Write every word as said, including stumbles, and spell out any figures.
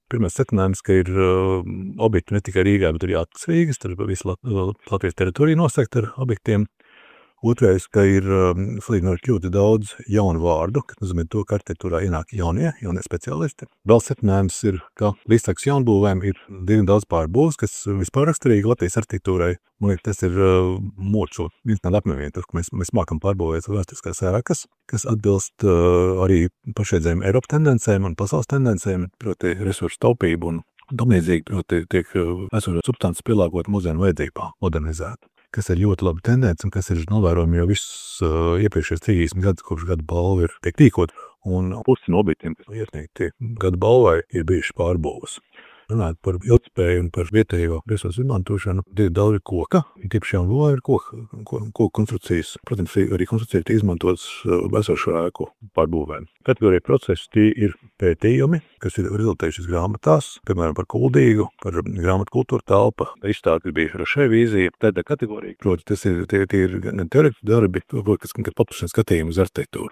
Pirmais secinājums, ka ir uh, objekti ne tikai Rīgā, bet arī ārpus Rīgas, tad visu Lat Latvijas teritoriju nosegt ar objektiem. Otrais, ka ir um, salīdzinoši ļoti daudz jaunu vārdu, kas nozīmē to, ka arhitektūrā ienāk jaunie, jaunie speciālisti. Vēl secinājums ir, ka līdztekus jaunbūvēm ir diezgan daudz pārbūves, kas vispār raksturīgi Latvijas arhitektūrai. Man liekas, tas ir uh, mūsu viens no lepnumiem, tas, ka mēs, mēs mākam pārbūvēt vēsturiskās ēkas, kas atbilst uh, arī pašreizējiem Eiropas tendencēm un pasaules tendencēm, proti resursu taupību un tamlīdzīgi, proti tiek uh, esošo substances pielāgot mūsdienu vajadzībām, modernizēt. Kas ir ļoti labi tendence un kas ir novērojami jau visus uh, iepriekšējos trīsdesmit gadus, kopš gada balva ir tiek tīkot. Un pusi no objektiem, kas iesniegti gada balvai, ir bijuši pārbūves. Runājot par ilgtspēju un par vietējo resursu izmantošanu, ir daudz koka, tīpaši jau būvē ir koka, koka konstrukcijas. Protams, arī konstrukcija ir izmantotas esošo ēku pārbūvēm. Kategorija procesi tie ir pētījumi, kas ir rezultējušies grāmatās, piemēram, par Kuldīgu, par grāmatu kultūra telpa, izstādi, kas bija Rošē vīzija, tāda kategorija. Proti, tas ir, tie, tie ir gan teorētiski darbi, kas paplašina skatījumu uz arhitektūru.